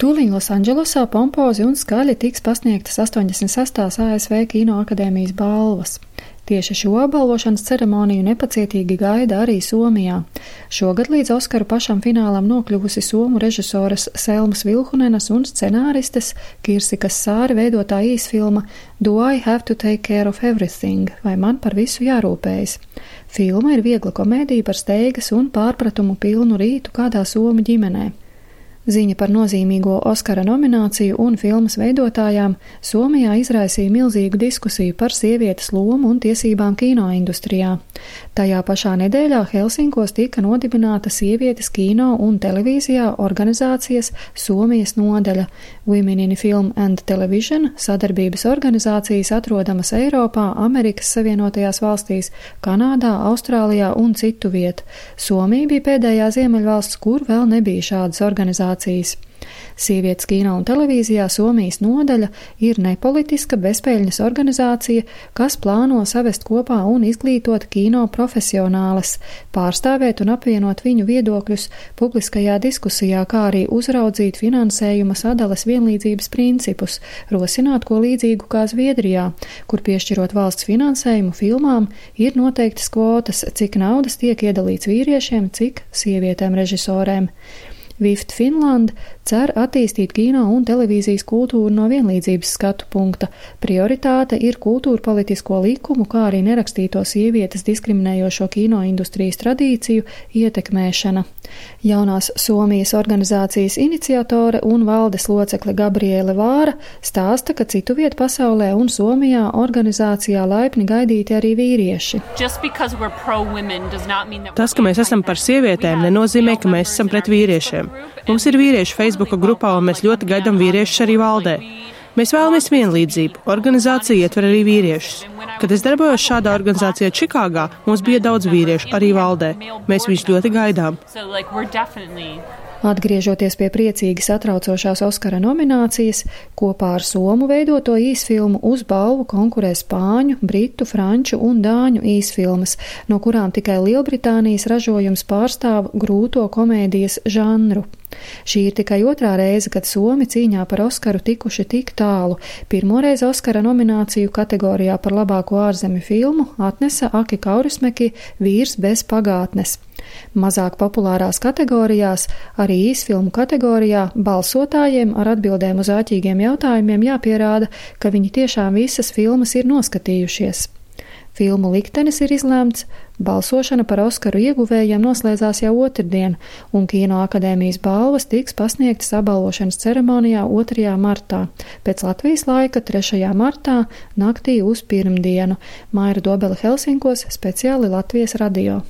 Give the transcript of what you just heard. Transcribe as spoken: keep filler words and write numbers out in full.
Tūlīt Losandželosā pompozi un skaļi tiks pasniegtas astoņdesmit sestās A S V Kino akadēmijas balvas. Tieši šo apbalvošanas ceremoniju nepacietīgi gaida arī Somijā. Šogad līdz Oskaru pašam finālam nokļuvusi somu režisoras Selmas Vilhunenas un scenāristes Kirsikas Sāri veidotā īsfilma Do I Have to Take Care of Everything? Vai man par visu jārūpējas? Filma ir viegla komēdija par steigas un pārpratumu pilnu rītu kādā somu ģimenē. Ziņa par nozīmīgo Oskara nomināciju un filmas veidotājām Somijā izraisīja milzīgu diskusiju par sievietes lomu un tiesībām kinoindustrijā. Tajā pašā nedēļā Helsinkos tika nodibināta sievietes kino un televīzijā organizācijas Somijas nodaļa Women in Film and Television, sadarbības organizācijas atrodamas Eiropā, Amerikas Savienotajās valstīs, Kanādā, Austrālijā un citu vietu. Somija bija pēdējā ziemeļvalsts, kur vēl nebija šādas organizācijas. Sievietes kino un televīzijā Somijas nodaļa ir nepolitiska bezpeļņas organizācija, kas plāno savest kopā un izglītot kino profesionāles, pārstāvēt un apvienot viņu viedokļus publiskajā diskusijā, kā arī uzraudzīt finansējuma sadales vienlīdzības principus, rosināt ko līdzīgu kā Zviedrijā, kur piešķirot valsts finansējumu filmām ir noteiktas kvotas, cik naudas tiek iedalīts vīriešiem, cik sievietēm režisorēm. Vift Finland cer attīstīt kino un televīzijas kultūru no vienlīdzības skatu punkta. Prioritāte ir kultūrpolitisko likumu, kā arī nerakstīto sievietes diskriminējošo kinoindustrijas tradīciju ietekmēšana. Jaunās Somijas organizācijas iniciatore un valdes locekle Gabriele Vāra stāsta, ka citu vietu pasaulē un Somijā organizācijā laipni gaidīti arī vīrieši. Tas, ka mēs esam par sievietēm, nenozīmē, ka mēs esam pret vīriešiem. Mums ir vīrieši Facebooka grupā, un mēs ļoti gaidām vīriešus arī valdē. Mēs vēlamies vienlīdzību. Organizācija ietver arī vīriešus. Kad es darbojos šādā organizācijā Čikāgā, mums bija daudz vīriešu arī valdē. Mēs viņus ļoti gaidām. Atgriežoties pie priecīgi satraucošās Oskara nominācijas, kopā ar somu veidoto īsfilmu uz balvu konkurē spāņu, britu, franču un dāņu īsfilmas, no kurām tikai Lielbritānijas ražojums pārstāv grūto komēdijas žanru. Šī ir tikai otrā reize, kad somi cīņā par Oskaru tikuši tik tālu. Pirmoreiz Oskara nomināciju kategorijā par labāko ārzemju filmu atnesa Aki Kaurismäki Vīrs bez pagātnes. Mazāk populārās kategorijās, arī īsfilmu kategorijā, balsotājiem ar atbildēm uz āķīgiem jautājumiem jāpierāda, ka viņi tiešām visas filmas ir noskatījušies. Filmu liktenis ir izlēmts, balsošana par Oskaru ieguvējiem noslēdzās jau otrdien, un Kino akadēmijas balvas tiks pasniegtas apbalvošanas ceremonijā otrajā martā, pēc Latvijas laika trešajā martā naktī uz pirmdienu. Maira Dobele Helsinkos, speciāli Latvijas radio.